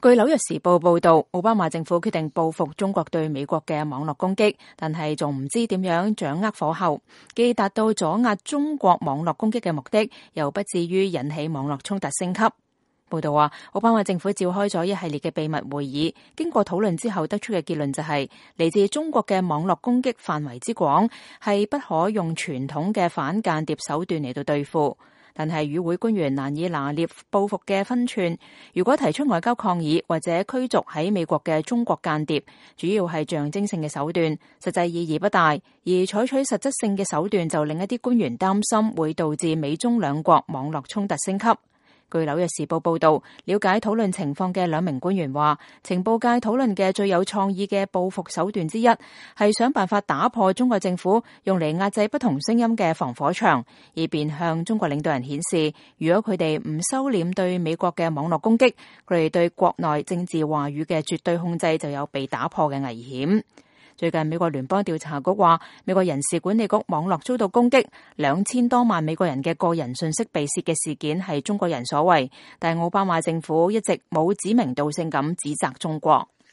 據紐約時報報道，奧巴馬政府決定報復中國對美國嘅網絡攻擊，但係仲唔知點樣掌握火候，既達到阻壓中國網絡攻擊嘅目的，又不至於引起網絡衝突升級。報道話，奧巴馬政府召開咗一系列嘅秘密會議，經過討論之後得出嘅結論就係，嚟自中國嘅網絡攻擊範圍之廣，係不可用傳統嘅反間諜手段嚟到對付。但係與會官員難以拿捏報復嘅分寸，如果提出外交抗議或者驅逐喺美國嘅中國間諜，主要係象徵性嘅手段，實際意義不大；而採取實質性嘅手段就令一啲官員擔心會導致美中兩國網絡衝突升級。據紐約時報報道，了解討論情況嘅兩名官員話，情報界討論嘅最有創意嘅報復手段之一，係想辦法打破中國政府用嚟壓制不同聲音嘅防火牆，以便向中國領導人顯示，如果佢哋唔收斂對美國嘅網絡攻擊，佢哋對國內政治話語嘅絕對控制就有被打破嘅危險。最近美國聯邦調查局話，美國人事管理局網絡遭到攻擊，2000多萬美國人嘅個人信息被竊嘅事件係中國人所為，但奧巴馬政府一直冇指名道姓咁指責中國。